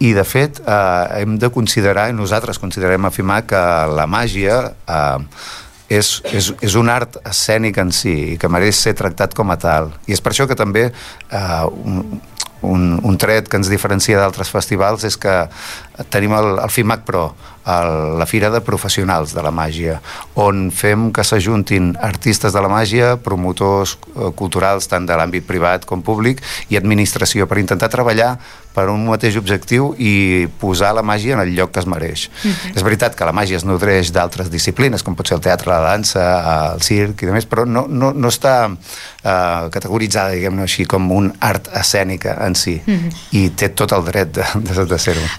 I de fet hem de considerar, i nosaltres considerem a FIMAC, que la màgia és un art escènic en si i que mereix ser tractat com a tal. I és per això que també un tret que ens diferencia d'altres festivals és que tenim el FIMAC Pro, la fira de professionals de la màgia, on fem que s'ajuntin artistes de la màgia, promotors culturals tant de l'àmbit privat com públic i administració, per intentar treballar per un mateix objectiu i posar la màgia en el lloc que es mereix. És veritat que la màgia es nodreix d'altres disciplines, com pot ser el teatre, la dansa, el circ i demés, però no està categoritzada, diguem-ne així, com un art escènica en si. I té tot el dret de ser-ho.